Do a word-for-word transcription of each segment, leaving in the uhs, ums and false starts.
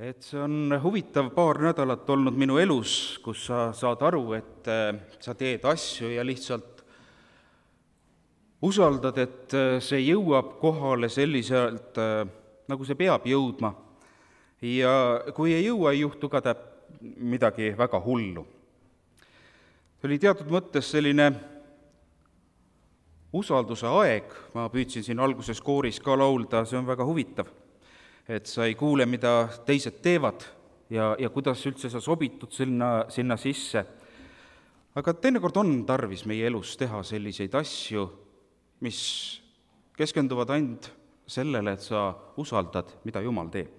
et see on huvitav paar nädalat olnud minu elus, kus sa saad aru, et sa teed asju ja lihtsalt usaldad, et see jõuab kohale selliselt, nagu see peab jõudma. Ja kui ei jõua, ei juhtu ka täp- midagi väga hullu. See oli teatud mõttes selline usalduse aeg, ma püüdsin siin alguses kooris ka laulda, see on väga huvitav, et sa ei kuule, mida teised teevad ja, ja kuidas üldse sa sobitud sinna, sinna sisse. Aga teinekord on tarvis meie elus teha selliseid asju, mis keskenduvad ainult sellele, et sa usaldad, mida Jumal teeb.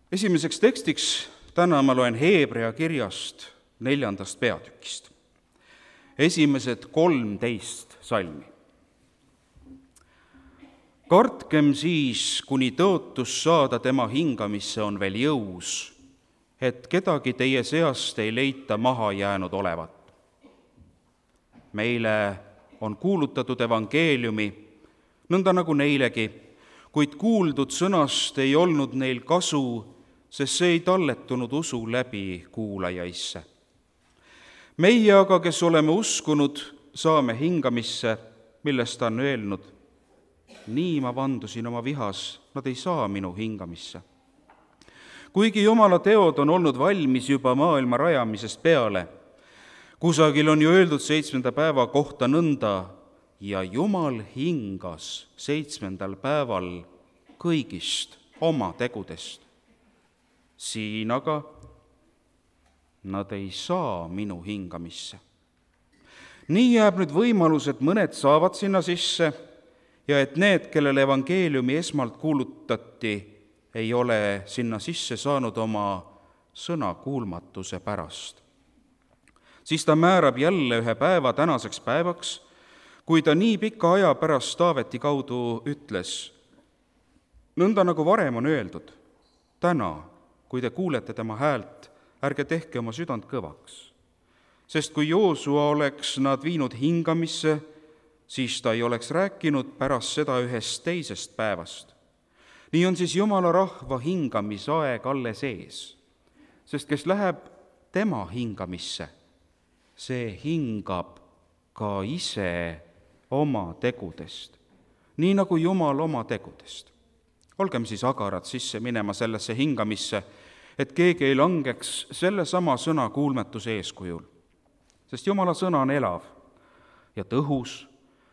Esimeseks tekstiks täna ma loen Heebrea kirjast neljandast peatükist. Esimesed kolmteist salmi. Kartkem siis, kuni tõotus saada tema hingamisse on veel jõus, et kedagi teie seast ei leita maha jäänud olevat. Meile on kuulutatud evangeeliumi, nõnda nagu neilegi, kuid kuuldud sõnast ei olnud neil kasu, sest see ei talletunud usu läbi kuulajaisse. Meie aga, kes oleme uskunud, saame hingamisse, millest ta on öelnud. Nii ma vandusin oma vihas, nad ei saa minu hingamisse. Kuigi Jumala teod on olnud valmis juba maailma rajamisest peale, kusagil on ju öeldud seitsmenda päeva kohta nõnda, ja Jumal hingas seitsmendal päeval kõigist oma tegudest. Siin aga nad ei saa minu hingamisse. Nii jääb nüüd võimalus, et mõned saavad sinna sisse ja et need, kellele evangeeliumi esmalt kuulutati, ei ole sinna sisse saanud oma sõna kuulmatuse pärast. Siis ta määrab jälle ühe päeva tänaseks päevaks, kui ta nii pika aja pärast Taaveti kaudu ütles, nõnda nagu varem on öeldud, täna, kui te kuulete tema häält, ärge tehke oma südant kõvaks. Sest kui Joosua oleks nad viinud hingamisse, siis ta ei oleks rääkinud pärast seda ühest teisest päevast. Nii on siis Jumala rahva hingamisaeg alles ees, sest kes läheb tema hingamisse, see hingab ka ise oma tegudest, nii nagu Jumal oma tegudest. Olgem siis agarad sisse minema sellesse hingamisse, et keegi ei langeks selle sama sõna kuulmetuse eeskujul. Sest Jumala sõna on elav ja tõhus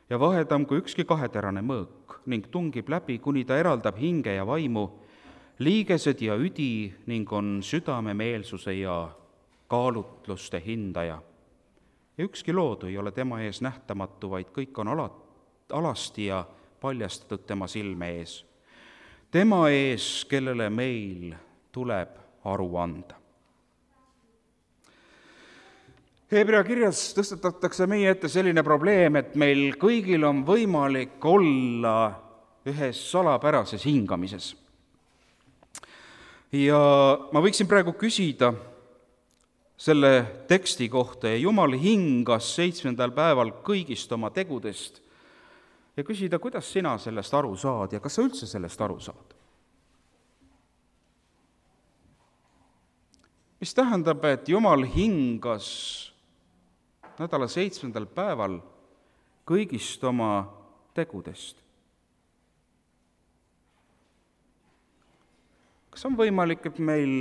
ja vahedam kui ükski kaheterane mõõk ning tungib läbi, kuni ta eraldab hinge ja vaimu, liigesed ja üdi ning on südame meelsuse ja kaalutluste hindaja. Ja ükski loodu ei ole tema ees nähtamatu, vaid kõik on ala, alasti ja paljastatud tema silme ees. Tema ees, kellele meil tuleb aru anda. Heebrea kirjas tõstatatakse meie ette selline probleem, et meil kõigil on võimalik olla ühes salapärases hingamises. Ja ma võiksin praegu küsida selle teksti kohta ja Jumal hingas seitsmendal päeval kõigist oma tegudest ja küsida, kuidas sina sellest aru saad ja kas sa üldse sellest aru saad? Mis tähendab, et Jumal hingas nädala seitsmendal päeval kõigist oma tegudest? Kas on võimalik, et meil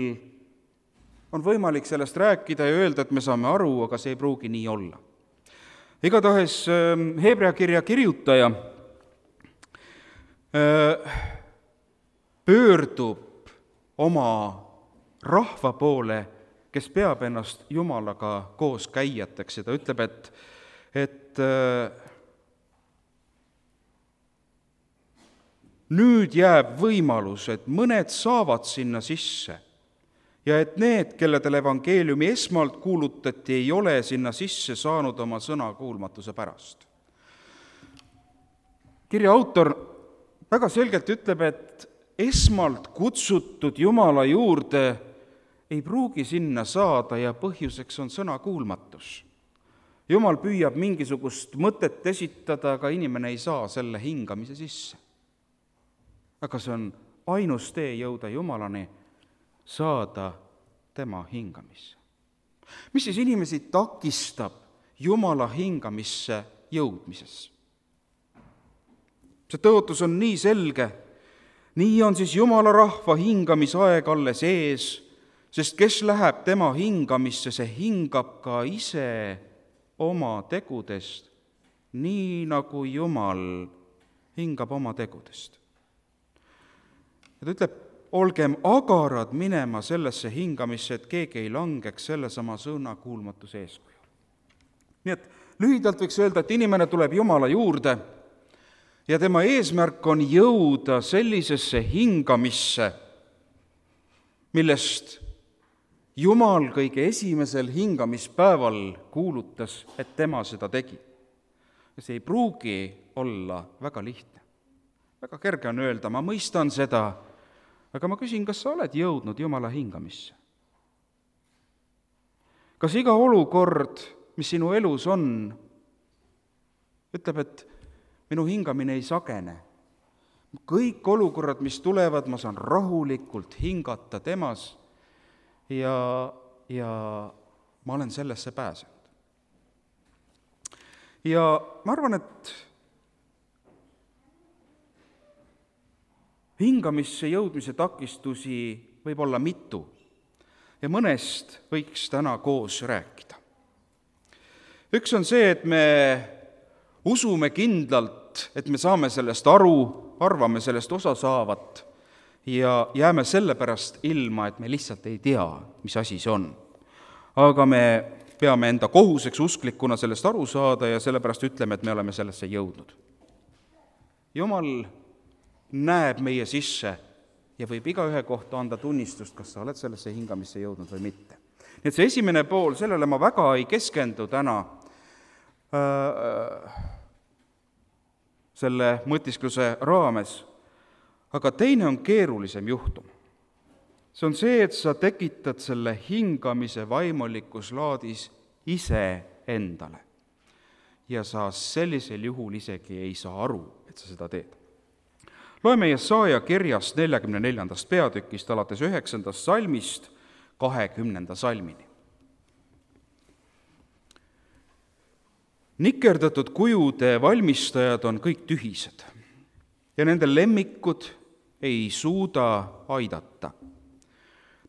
on võimalik sellest rääkida ja öelda, et me saame aru, aga see ei pruugi nii olla? Igatahes Heebrea kirja kirjutaja pöördub oma rahva poole, kes peab ennast Jumalaga koos käijateks ja ta ütleb, et, et nüüd jääb võimalus, et mõned saavad sinna sisse ja et need, kelledel evangeeliumi esmalt kuulutati, ei ole sinna sisse saanud oma sõna kuulmatuse pärast. Kirja autor väga selgelt ütleb, et esmalt kutsutud Jumala juurde ei pruugi sinna saada ja põhjuseks on sõna kuulmatus. Jumal püüab mingisugust mõtet esitada, aga inimene ei saa selle hingamise sisse. Aga see on ainus tee jõuda Jumalani, saada tema hingamisse. Mis siis inimesi takistab Jumala hingamisse jõudmises? See tõotus on nii selge, nii on siis Jumala rahva hingamisaeg alles ees, sest kes läheb tema hingamisse, see hingab ka ise oma tegudest, nii nagu Jumal hingab oma tegudest. Ja ta ütleb, olgem agarad minema sellesse hingamisse, et keegi ei langeks sellesama sõna kuulmatuse eeskuju. Nii et lühidalt võiks öelda, et inimene tuleb Jumala juurde ja tema eesmärk on jõuda sellisesse hingamisse, millest Jumal kõige esimesel hingamispäeval kuulutas, et tema seda tegi. Ja see ei pruugi olla väga lihtne. Väga kerge on öelda, ma mõistan seda, aga ma küsin, kas sa oled jõudnud Jumala hingamisse? Kas iga olukord, mis sinu elus on, ütleb, et minu hingamine ei sagene. Kõik olukorrad, mis tulevad, ma saan rahulikult hingata temas ja, ja ma olen sellesse pääsenud. Ja ma arvan, et hingamisse jõudmise takistusi võib olla mitu ja mõnest võiks täna koos rääkida. Üks on see, et me usume kindlalt, et me saame sellest aru, arvame sellest osa saavat ja jääme sellepärast ilma, et me lihtsalt ei tea, mis asi see on. Aga me peame enda kohuseks usklikuna sellest aru saada ja sellepärast ütleme, et me oleme sellesse jõudnud. Jumal näeb meie sisse ja võib igaühe kohta anda tunnistust, kas sa oled sellesse hingamisse jõudnud või mitte. Nii et see esimene pool, sellele ma väga ei keskendu täna äh, selle mõtiskluse raames, aga teine on keerulisem juhtum. See on see, et sa tekitad selle hingamise vaimulikus laadis ise endale. Ja sa sellisel juhul isegi ei saa aru, et sa seda teed. Loeme Jesaja kirjast neljakümne neljandast peatükist alates üheksandast salmist kahekümnenda salmini. Nikerdatud kujude valmistajad on kõik tühised ja nende lemmikud ei suuda aidata.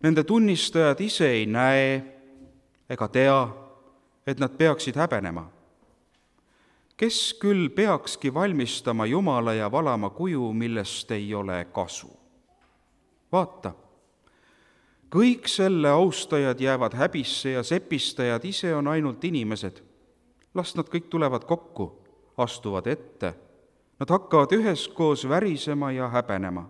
Nende tunnistajad ise ei näe ega tea, et nad peaksid häbenema. Kes küll peakski valmistama Jumala ja valama kuju, millest ei ole kasu? Vaata, kõik selle austajad jäävad häbisse ja sepistajad ise on ainult inimesed. Las nad kõik tulevad kokku, astuvad ette. Nad hakkavad üheskoos värisema ja häbenema.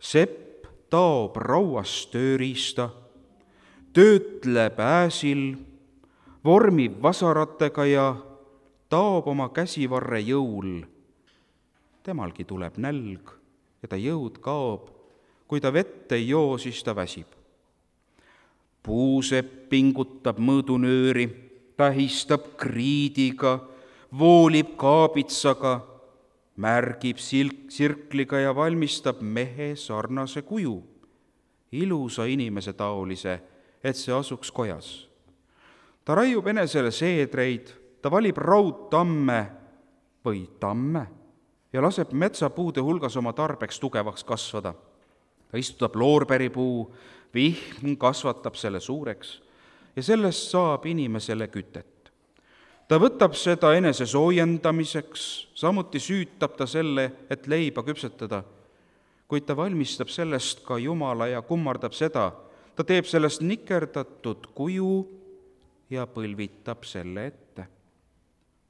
Sepp taob rauast tööriista, töötleb ääsil, vormib vasaratega ja taob oma käsivarre jõul. Temalgi tuleb nälg ja ta jõud kaob. Kui ta vett ei joo, siis ta väsib. Puusepp pingutab mõõdunööri, tähistab kriidiga, voolib kaabitsaga, märgib silk, sirkliga ja valmistab mehe sarnase kuju, ilusa inimese taolise, et see asuks kojas. Ta raiub enesele seedreid, ta valib raudtamme või tamme ja laseb metsapuude hulgas oma tarbeks tugevaks kasvada. Ta istutab loorberipuu, vihm kasvatab selle suureks ja sellest saab inimesele kütet. Ta võtab seda enese soojendamiseks, samuti süütab ta selle, et leiba küpsetada, kuid ta valmistab sellest ka Jumala ja kummardab seda. Ta teeb sellest nikerdatud kuju ja põlvitab selle ette.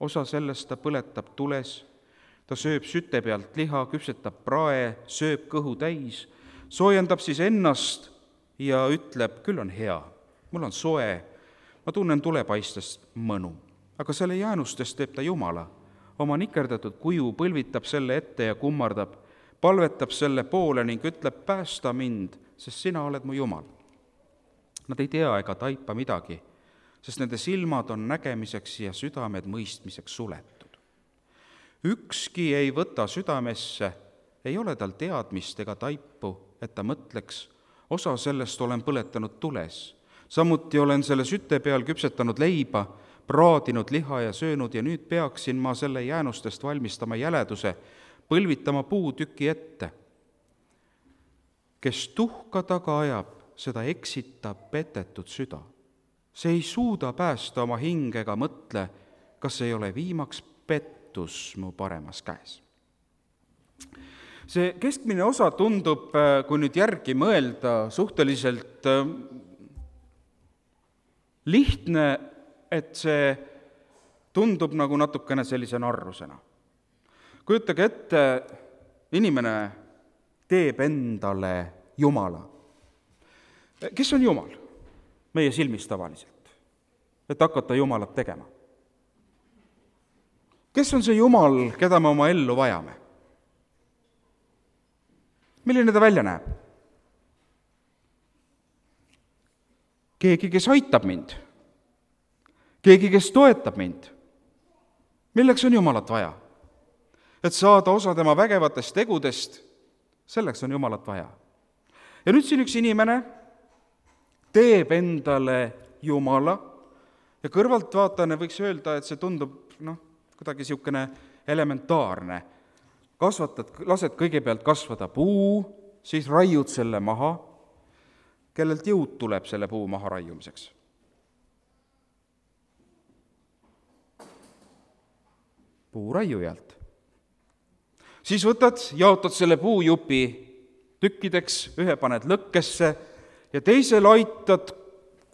Osa sellest ta põletab tules, ta sööb süte pealt liha, küpsetab prae, sööb kõhu täis, soojendab siis ennast ja ütleb, küll on hea, mul on soe, ma tunnen tulepaistest mõnu. Aga selle jäänustest teeb ta Jumala. Oma nikerdatud kuju põlvitab selle ette ja kummardab, palvetab selle poole ning ütleb, päästa mind, sest sina oled mu Jumal. Nad ei tea ega taipa midagi, sest nende silmad on nägemiseks ja südamed mõistmiseks suletud. Ükski ei võta südamesse ei ole tal teadmist ega taipu, et ta mõtleks, osa sellest olen põletanud tules. Samuti olen selle süte peal küpsetanud leiba, praadinud liha ja söönud ja nüüd peaksin ma selle jäänustest valmistama jäleduse, põlvitama puutüki ette. Kes tuhka taga ajab, seda eksitab petetud süda. See ei suuda päästa oma hinge ega mõtle, kas ei ole viimaks pettus mu paremas käes. See keskmine osa tundub, kui nüüd järgi mõelda, suhteliselt lihtne, et see tundub nagu natukene sellise narrusena. Kujutage ette, inimene teeb endale Jumala. Kes on Jumal? Meie silmis tavaliselt, et hakata Jumalat tegema. Kes on see Jumal, keda me oma ellu vajame? Milline ta välja näeb? Keegi, kes aitab mind. Keegi, kes toetab mind. Milleks on Jumalat vaja? Et saada osa tema vägevatest tegudest, selleks on Jumalat vaja. Ja nüüd siin üks inimene teeb endale Jumala ja kõrvalt vaatane võiks öelda, et see tundub noh, kuidagi niisugune elementaarne. Kasvatad, lased kõigepealt kasvada puu, siis raiud selle maha, kellelt jõud tuleb selle puu maha raiumiseks. Puuraiujalt. Siis võtad, jaotad selle puujupi tükkideks, ühe paned lõkkesse ja teisel aitad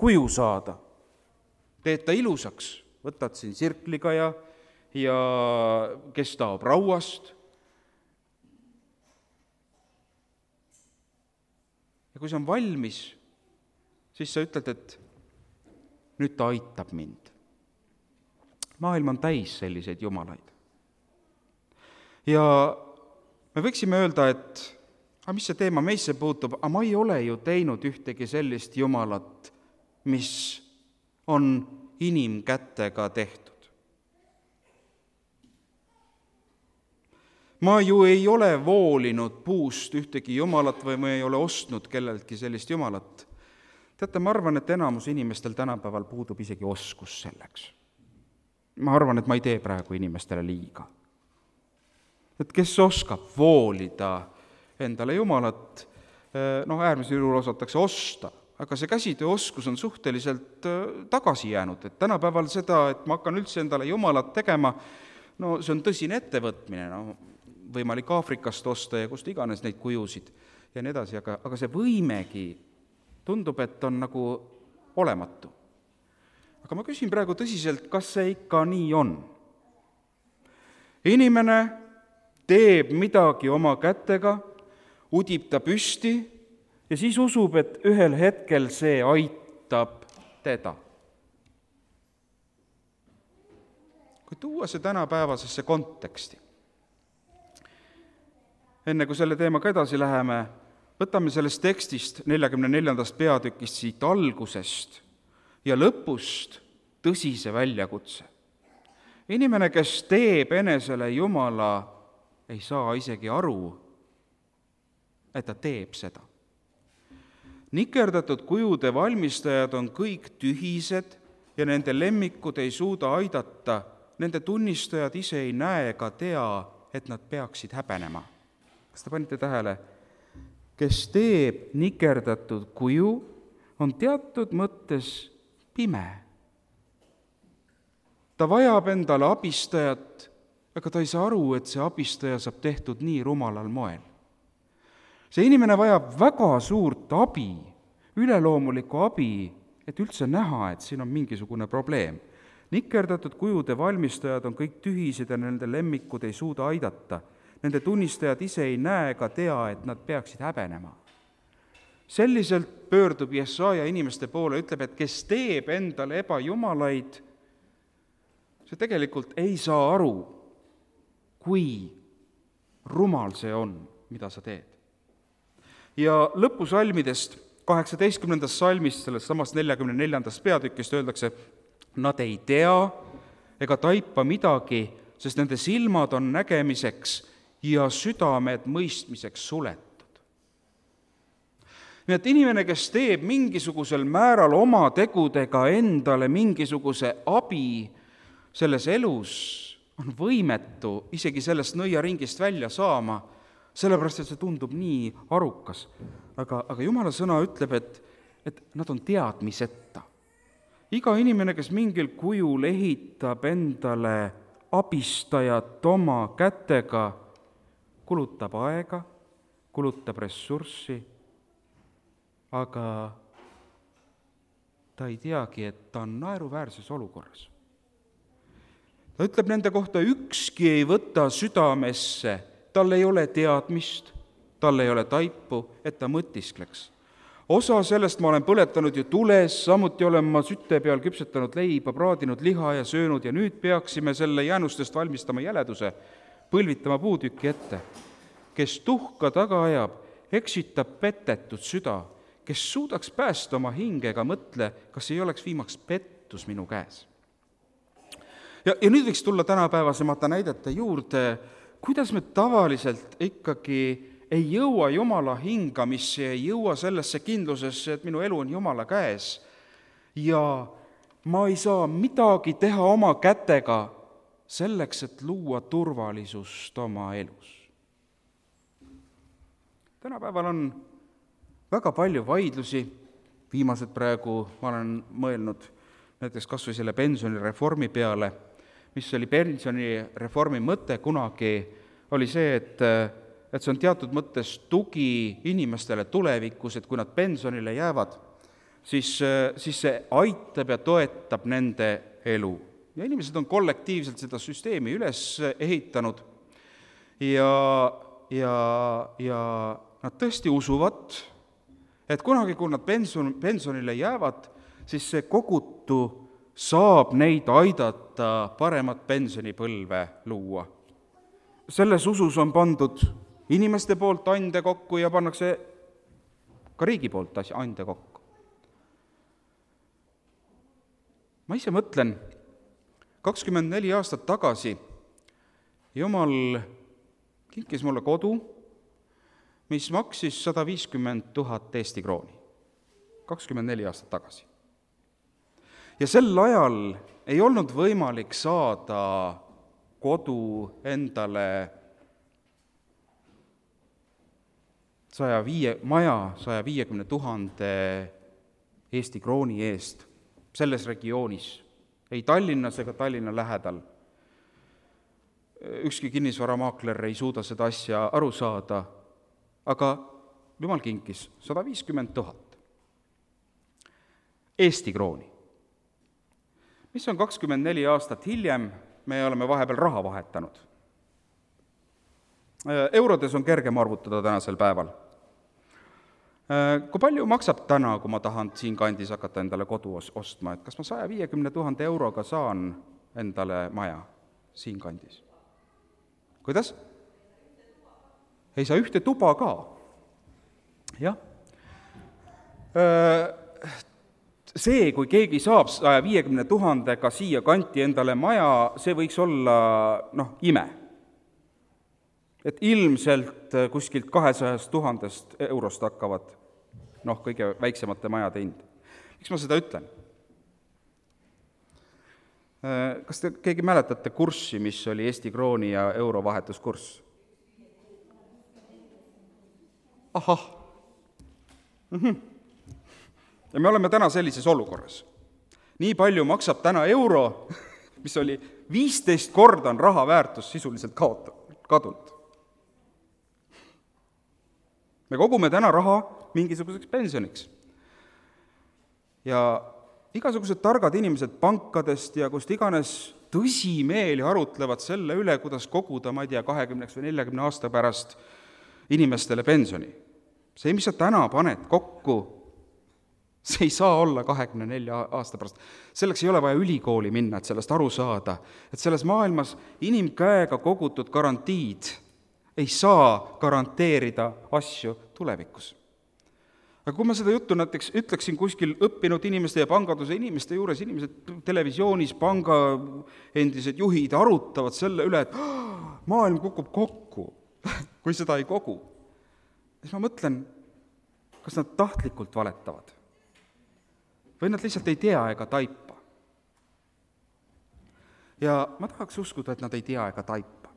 kuju saada. Teed ta ilusaks, võtad siin sirkliga ja, ja kes taob rauast. Ja kui see on valmis, siis sa ütled, et nüüd ta aitab mind. Maailm on täis selliseid jumalaid. Ja me võiksime öelda, et aga mis see teema meisse puutub, aga ma ei ole ju teinud ühtegi sellist jumalat, mis on inimkätega tehtud. Ma ju ei ole voolinud puust ühtegi jumalat või ma ei ole ostnud kelleltki sellist jumalat. Teate, ma arvan, et enamus inimestel tänapäeval puudub isegi oskus selleks. Ma arvan, et ma ei tee praegu inimestele liiga. Et kes oskab voolida endale jumalat, noh, äärmisel juhul osatakse osta, aga see käsitööoskus on suhteliselt tagasi jäänud, et tänapäeval seda, et ma hakkan üldse endale jumalat tegema, no see on tõsine ettevõtmine, no, võimalik Aafrikast osta ja kust iganes neid kujusid ja nii edasi, aga, aga see võimegi tundub, et on nagu olematu. Aga ma küsin praegu tõsiselt, kas see ikka nii on? Inimene teeb midagi oma kätega, udib ta püsti ja siis usub, et ühel hetkel see aitab teda. Kui tuua see tänapäevasesse konteksti, enne kui selle teemaga edasi läheme, võtame sellest tekstist neljakümne neljandast peatükist siit algusest ja lõpust tõsise väljakutse. Inimene, kes teeb enesele Jumala, ei saa isegi aru, et ta teeb seda. Nikerdatud kujude valmistajad on kõik tühised ja nende lemmikud ei suuda aidata, nende tunnistajad ise ei näe ega tea, et nad peaksid häbenema. Kas te panite tähele? Kes teeb nikerdatud kuju, on teatud mõttes pime. Ta vajab endale abistajat, aga ta ei saa aru, et see abistaja saab tehtud nii rumalal moel. See inimene vajab väga suurt abi, üleloomulikku abi, et üldse näha, et siin on mingisugune probleem. Nikerdatud kujude valmistajad on kõik tühised ja nende lemmikud ei suuda aidata. Nende tunnistajad ise ei näe ega tea, et nad peaksid häbenema. Selliselt pöördub Jesaja inimeste poole, ütleb, et kes teeb endale ebajumalaid, see tegelikult ei saa aru, kui rumal see on, mida sa teed. Ja lõpusalmidest, kaheksateistkümnendast salmist, sellest samast neljakümne neljandast peatükist öeldakse, nad ei tea ega taipa midagi, sest nende silmad on nägemiseks ja südamed mõistmiseks suletud. Nii et inimene, kes teeb mingisugusel määral oma tegudega endale mingisuguse abi selles elus, on võimetu isegi sellest nõiaringist välja saama, sellepärast, et see tundub nii arukas. Aga, aga Jumala sõna ütleb, et, et nad on teadmiseta. Iga inimene, kes mingil kujul ehitab endale abistajat oma kätega, kulutab aega, kulutab ressurssi, aga ta ei teagi, et ta on naeruväärses olukorras. Ta ütleb nende kohta, ükski ei võta südamesse, tal ei ole teadmist, tal ei ole taipu, et ta mõtiskleks. Osa sellest ma olen põletanud ju tules, samuti olen ma sütte peal küpsetanud leiba, praadinud liha ja söönud ja nüüd peaksime selle jäänustest valmistama jäleduse, põlvitama puutüki ette. Kes tuhka taga ajab, eksitab petetud süda, kes suudaks päästa oma hingega, mõtle, kas ei oleks viimaks pettus minu käes. Ja, ja nüüd võiks tulla tänapäevasemate näidete juurde, kuidas me tavaliselt ikkagi ei jõua Jumala hingamisse, ei jõua sellesse kindlusesse, et minu elu on Jumala käes ja ma ei saa midagi teha oma kätega selleks, et luua turvalisust oma elus. Tänapäeval on väga palju vaidlusi, viimased praegu ma olen mõelnud näiteks kas või selle pensionireformi peale, mis oli pensionireformi mõte kunagi, oli see, et, et see on teatud mõttes tugi inimestele tulevikus, et kui nad pensionile jäävad, siis, siis see aitab ja toetab nende elu. Ja inimesed on kollektiivselt seda süsteemi üles ehitanud ja, ja, ja nad tõesti usuvad, et kunagi, kui nad pension, pensionile jäävad, siis see kogutu saab neid aidata paremat pensionipõlve luua. Selles usus on pandud inimeste poolt ande kokku ja pannakse ka riigi poolt ande kokku. Ma ise mõtlen, kakskümmend neli aastat tagasi Jumal kinkis mulle kodu, mis maksis sada viiskümmend tuhat Eesti krooni. kakskümmend neli aastat tagasi. Ja sel ajal ei olnud võimalik saada kodu endale saja viie, maja saja viiekümne tuhande Eesti krooni eest selles regioonis, ei Tallinnas ega Tallinna lähedal. Ükski kinnisvaramaakler ei suuda seda asja aru saada, aga Jumal kinkis sada viiskümmend tuhat Eesti krooni. Mis on kakskümmend neli aastat hiljem, me oleme vahepeal raha vahetanud. Eurodes on kergem arvutada tänasel päeval. Kui palju maksab täna, kui ma tahan siin kandis hakata endale kodu ostma, et kas ma saja viiekümne tuhande euroga saan endale maja siin kandis? Kuidas? Ei saa ühte tuba ka. Jah. See, kui keegi saab saja viiekümne tuhandega siia kanti endale maja, see võiks olla noh, ime. Et ilmselt kuskilt kahesajast tuhandest eurost hakkavad noh, kõige väiksemate majade hind. Miks ma seda ütlen? Kas te keegi mäletate kurssi, mis oli Eesti krooni ja euro vahetuskurss? Ahah. Mhm. Ja me oleme täna sellises olukorras. Nii palju maksab täna euro, mis oli viisteist korda on raha väärtus sisuliselt kadunud. Me kogume täna raha mingisuguseks pensioniks. Ja igasugused targad inimesed pankadest ja kust iganes tõsimeeli arutlevad selle üle, kuidas koguda, ma ei tea, kahekümneks või neljakümne aasta pärast inimestele pensioni. See, mis sa täna paned kokku, see ei saa olla kahekümne nelja aasta pärast. Selleks ei ole vaja ülikooli minna, et sellest aru saada. Et selles maailmas inimkäega kogutud garantiid ei saa garanteerida asju tulevikus. Aga kui ma seda juttu näiteks ütleksin kuskil õppinud inimeste ja panganduse inimeste juures, inimesed televisioonis, panga endised juhid arutavad selle üle, et maailm kukub kokku. kui seda ei kogu, siis ma mõtlen, kas nad tahtlikult valetavad või nad lihtsalt ei tea ega taipa. Ja ma tahaks uskuda, et nad ei tea ega taipa.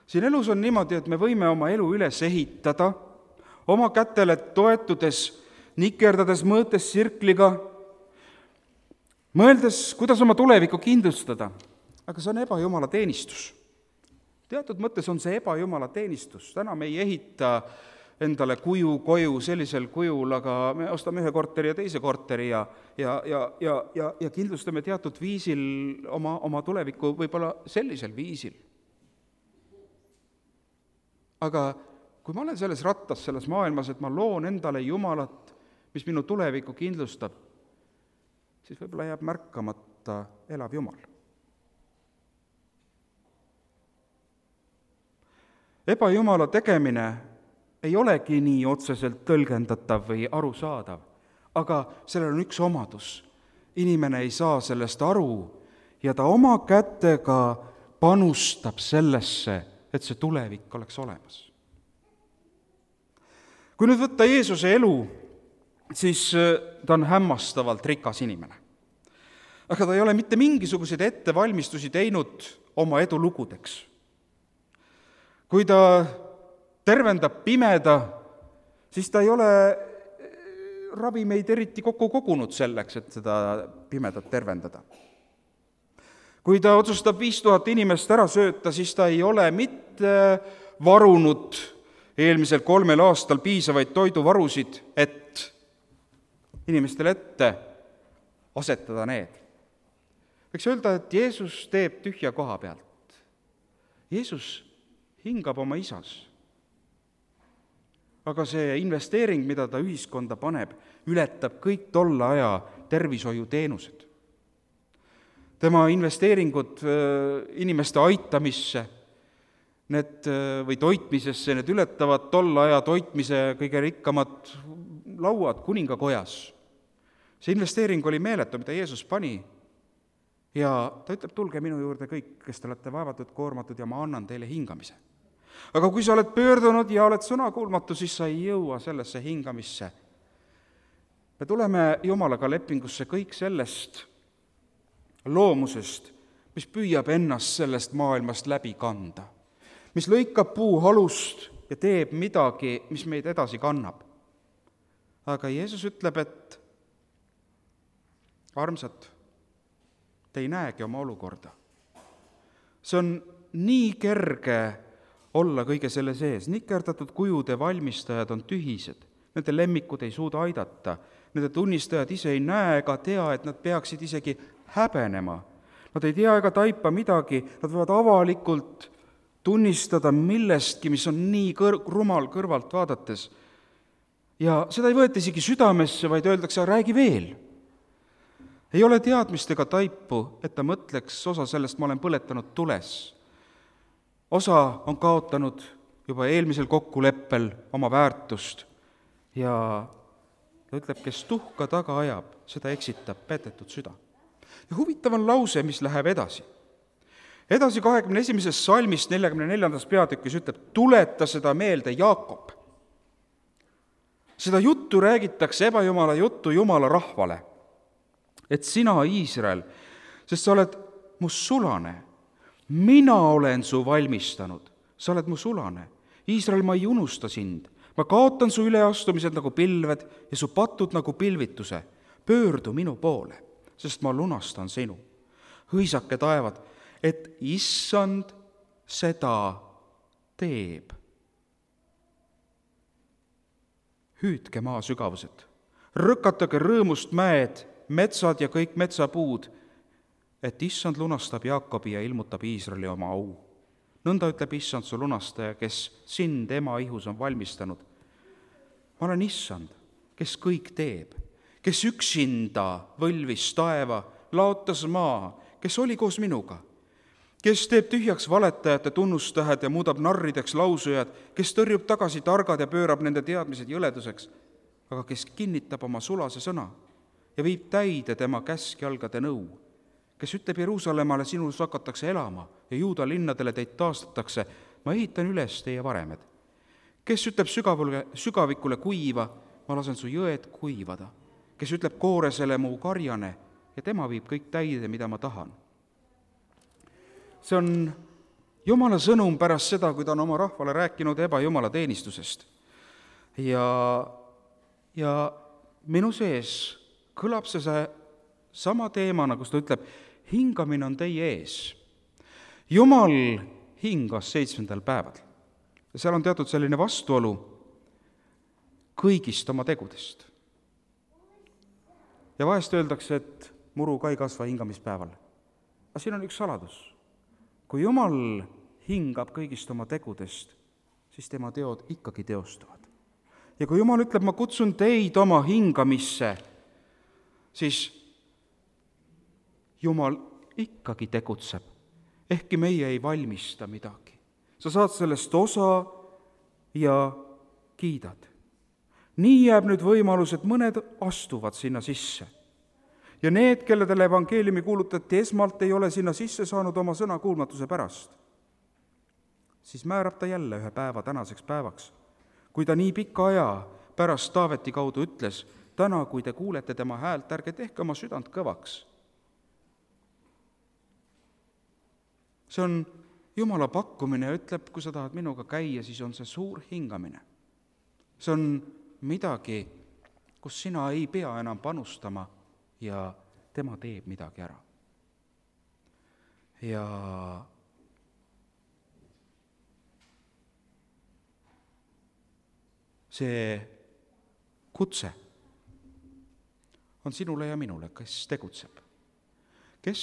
Siin elus on niimoodi, et me võime oma elu üles ehitada, oma kätele toetudes, nikerdades, mõõtes sirkliga, mõeldes, kuidas oma tulevikku kindlustada, aga see on ebajumala teenistus. Teatud mõttes on see ebajumala teenistus. Täna me ei ehita endale kuju, koju sellisel kujul, aga me ostame ühe korteri ja teise korteri ja, ja, ja, ja, ja, ja kindlustame teatud viisil oma, oma tulevikku võib-olla sellisel viisil. Aga kui ma olen selles rattas, selles maailmas, et ma loon endale Jumalat, mis minu tulevikku kindlustab, siis võib-olla jääb märkamata elav Jumal. Ebajumala tegemine ei olegi nii otseselt tõlgendatav või arusaadav, aga sellel on üks omadus. Inimene ei saa sellest aru ja ta oma kätega panustab sellesse, et see tulevik oleks olemas. Kui nüüd võtta Jeesuse elu, siis ta on hämmastavalt rikas inimene. Aga ta ei ole mitte mingisuguseid ettevalmistusi teinud oma edulugudeks. Kui ta tervendab pimeda, siis ta ei ole ravimeid eriti kokku kogunud selleks, et seda pimedat tervendada. Kui ta otsustab viis tuhat inimest ära sööta, siis ta ei ole mitte varunud eelmisel kolmel aastal piisavaid toiduvarusid, et inimestele ette asetada need. Võiks öelda, et Jeesus teeb tühja koha pealt. Jeesus hingab oma isas. Aga see investeering, mida ta ühiskonda paneb, ületab kõik tolle aja tervishoiuteenused. Tema investeeringud inimeste aitamisse need, või toitmisesse, need ületavad tolle aja toitmise kõige rikkamad lauad kuningakojas. See investeering oli meeletu, mida Jeesus pani. Ja ta ütleb, tulge minu juurde kõik, kes te olete vaevatud, koormatud ja ma annan teile hingamise. Aga kui sa oled pöördunud ja oled sõnakuulmatu, siis sa ei jõua sellesse hingamisse. Me tuleme Jumalaga lepingusse kõik sellest loomusest, mis püüab ennast sellest maailmast läbi kanda, mis lõikab puu halust ja teeb midagi, mis meid edasi kannab. Aga Jeesus ütleb, et armsad, te ei näegi oma olukorda. See on nii kerge olla kõige selle sees. Nikerdatud kujude valmistajad on tühised, nende lemmikud ei suuda aidata, nende tunnistajad ise ei näe ega tea, et nad peaksid isegi häbenema. Nad ei tea ega taipa midagi, nad võivad avalikult tunnistada millestki, mis on nii kõr- rumal kõrvalt vaadates. Ja seda ei võeta isegi südamesse, vaid öeldakse, räägi veel. Ei ole teadmist ega taipu, et ta mõtleks, osa sellest ma olen põletanud tules. Osa on kaotanud juba eelmisel kokkuleppel oma väärtust ja ta ütleb, kes tuhka taga ajab, seda eksitab petetud süda. Ja huvitav on lause, mis läheb edasi. Edasi kahekümne esimesest salmist neljakümne neljandas peatükis ütleb, tuleta seda meelde Jaakob. Seda juttu räägitakse ebajumala juttu Jumala rahvale, et sina, Iisrael, sest sa oled mu sulane, mina olen su valmistanud, sa oled mu sulane. Iisrael, ma ei unusta sind, ma kaotan su üleastumised nagu pilved ja su patud nagu pilvituse. Pöördu minu poole, sest ma lunastan sinu. Hõisake taevad, et issand seda teeb. Hüüdke maa sügavused, rõkatage rõõmust mäed, metsad ja kõik metsapuud, et issand lunastab Jaakobi ja ilmutab Iisraeli oma au. Nõnda ütleb issand su lunastaja, kes sind ema ihus on valmistanud. Ma olen issand, kes kõik teeb, kes üksinda võlvis taeva, laotas maa, kes oli koos minuga, kes teeb tühjaks valetajate tunnustähed ja muudab narrideks lausujad, kes tõrjub tagasi targad ja pöörab nende teadmised jõleduseks, aga kes kinnitab oma sulase sõna ja viib täide tema käskjalgade nõu, kes ütleb Jeruusalemmale, sinus hakatakse elama ja Juuda linnadele teid taastatakse, ma ehitan üles teie varemed. Kes ütleb sügavule, sügavikule kuiva, ma lasen su jõed kuivada. Kes ütleb kooresele mu karjane ja tema viib kõik täide, mida ma tahan. See on Jumala sõnum pärast seda, kui ta on oma rahvale rääkinud ebajumala teenistusest. Ja, ja minu sees kõlab see, see sama teemana, kus ta ütleb, hingamine on teie ees. Jumal hingas seitsmendal päeval. Ja seal on teatud selline vastuolu kõigist oma tegudest. Ja vahest öeldakse, et muru ka ei kasva hingamispäeval. Aga siin on üks saladus. Kui Jumal hingab kõigist oma tegudest, siis tema teod ikkagi teostuvad. Ja kui Jumal ütleb, ma kutsun teid oma hingamisse, siis Jumal ikkagi tegutseb, ehkki meie ei valmista midagi. Sa saad sellest osa ja kiidad. Nii jääb nüüd võimalus, et mõned astuvad sinna sisse. Ja need, kelledele evangeeliumi kuulutati esmalt, ei ole sinna sisse saanud oma sõna kuulmatuse pärast. Siis määrab ta jälle ühe päeva tänaseks päevaks. Kui ta nii pika aja pärast Taaveti kaudu ütles, täna, kui te kuulete tema häält, ärge tehke oma südant kõvaks. See on Jumala pakkumine ja ütleb, kui sa tahad minuga käia, siis on see suur hingamine. See on midagi, kus sina ei pea enam panustama ja tema teeb midagi ära. Ja see kutse on sinule ja minule, kes tegutseb. Kes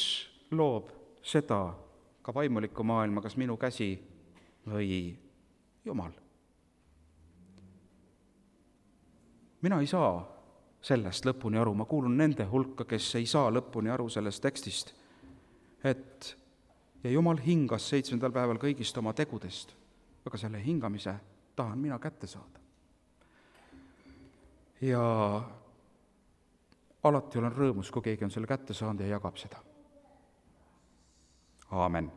loob seda ka vaimulikku maailma, kas minu käsi või Jumal. Mina ei saa sellest lõpuni aru, ma kuulun nende hulka, kes ei saa lõpuni aru sellest tekstist, et ja Jumal hingas seitsmendal päeval kõigist oma tegudest, aga selle hingamise tahan mina kätte saada. Ja alati olen rõõmus, kui keegi on selle kätte saanud ja jagab seda. Aamen.